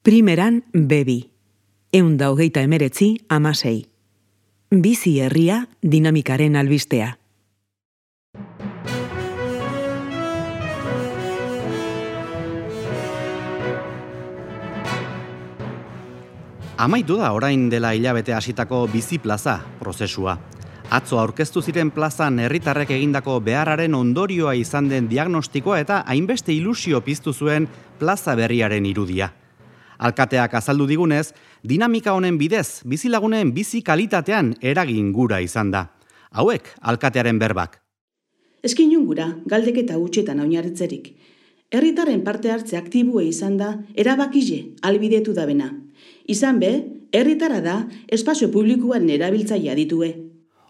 Primeran bebi, 129/16. Bizi herria dinamikaren albistea. Amaitu da orain dela hilabete hasitako bizi plaza prozesua. Atzo aurkeztu ziren plazan herritarrek egindako beharraren ondorioa izan den diagnostikoa eta hainbeste ilusio piztu zuen plaza berriaren irudia. Alkateak azaldu digunez, dinamika honen bidez, bizilagunen bizi kalitatean eragin gura izan da. Hauek, alkatearen berbak. Eskinun gura, galdeketa hutsetan oinarritzerik. Herritarren parte hartze aktibue izan da, erabakile, albidetu da bena. Izan be, herritara da, espazio publikoaren erabiltzailea ditue.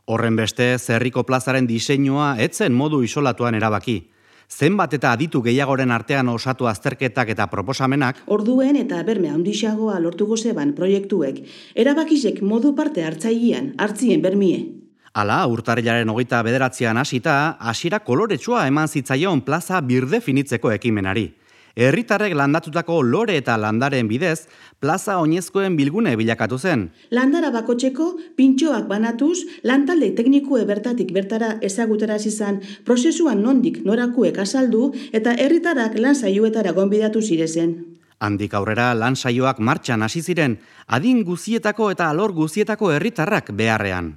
Horren beste, herriko plazaren diseinua etzen modu isolatuan erabaki. Zenbat eta aditu gehiagoren artean osatu azterketak eta proposamenak, orduen eta berme handixagoa lortuko zeban proiektuek, erabakizek modu parte hartzailean hartzien bermie. Hala, urtarrilaren 29an hasita, hasiera koloretsua eman zitzaion plaza birdefinitzeko ekimenari. Herritarrek landatutako lore eta landaren bidez, plaza oinezkoen bilgune bilakatu zen. Landara bakotxeko, pintxoak banatuz, lantalde teknikue bertatik bertara ezagutara izan, prozesuan nondik norakuek azaldu eta herritarrak lan saioetara gonbidatu zirezen. Handik aurrera lan saioak martxan hasi ziren, adin guzietako eta alor guzietako herritarrak beharrean.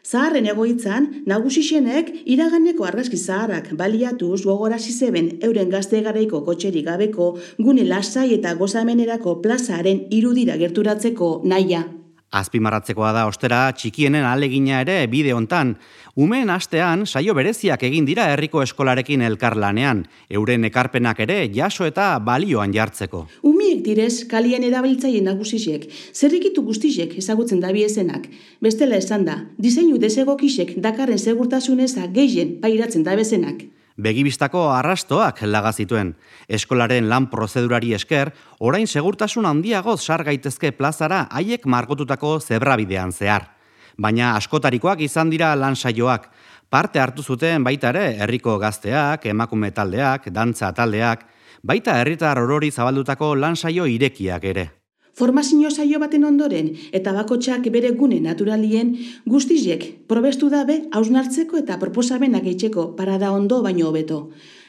Zaharren egoitzan, nagusixenek iraganeko argazki zaharrak baliatuz gogorasi zeben euren gazte garaiko kotxerik gabeko gune lasai eta gozamenerako plazaren irudira gerturatzeko nahia. Azpimarratzekoa da ostera txikienen ahalegina ere bide hontan. Umeen astean saio bereziak egin dira herriko eskolarekin elkarlanean, euren ekarpenak ere jaso eta balioan jartzeko. Umiek direz kalien erabiltzaile nagusixek, zerrikitu guztixek ezagutzen dabiezenak. Bestela esan da, diseinu desegokixek dakarren segurtasuneza gehien pairatzen dabezenak. Begibistako arrastoak laga zituen. Eskolaren lan prozedurari esker, orain segurtasun handiagoz sar gaitezke plazara haiek margotutako zebrabidean zehar. Baina askotarikoak izan dira lan saioak. Parte hartu zuten baita ere herriko gazteak, emakume taldeak, dantza taldeak, baita herritar orori zabaldutako lan saio irekiak ere. Formazio saio baten ondoren eta bakotxak bere gune naturalien guztiek probestu dabe hausnartzeko eta proposamenak eitzeko parada ondo baino hobeto.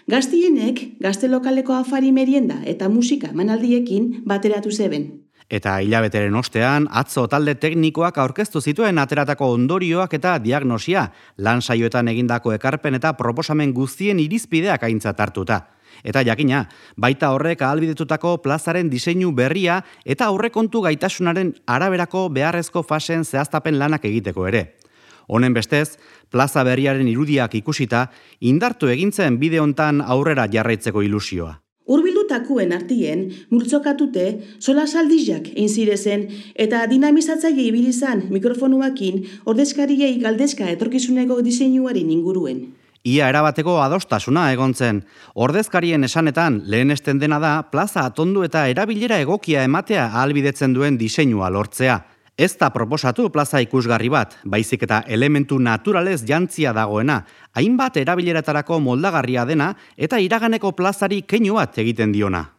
Gaztienek gazte lokaleko afari merienda eta musika manaldiekin bateratu zeben. Eta hilabeteren ostean, atzo talde teknikoak aurkeztu zituen ateratako ondorioak eta diagnosia, lan saioetan egindako ekarpen eta proposamen guztien irizpideak aintzat hartuta. Eta jakina, baita horrek ahalbidetutako plazaren diseinu berria eta aurrekontu gaitasunaren araberako beharrezko fasen zehaztapen lanak egiteko ere. Honen bestez, plaza berriaren irudiak ikusita, indartu egintzen bide hontan aurrera jarraitzeko ilusioa. Hurbildutakuen artien, multzokatute, solasaldizak egin zirezen eta dinamizatzaile ibilizan mikrofonuakin ordezkariei galdezka etorkizuneko diseinuaren inguruen. Ia erabateko adostasuna egon zen. Ordezkarien esanetan lehenesten dena da plaza atondu eta erabilera egokia ematea ahalbidetzen duen diseinua lortzea. Ez da proposatu plaza ikusgarri bat, baizik eta elementu naturalez jantzia dagoena, hainbat erabileretarako moldagarria dena eta iraganeko plazari keinu bat egiten diona.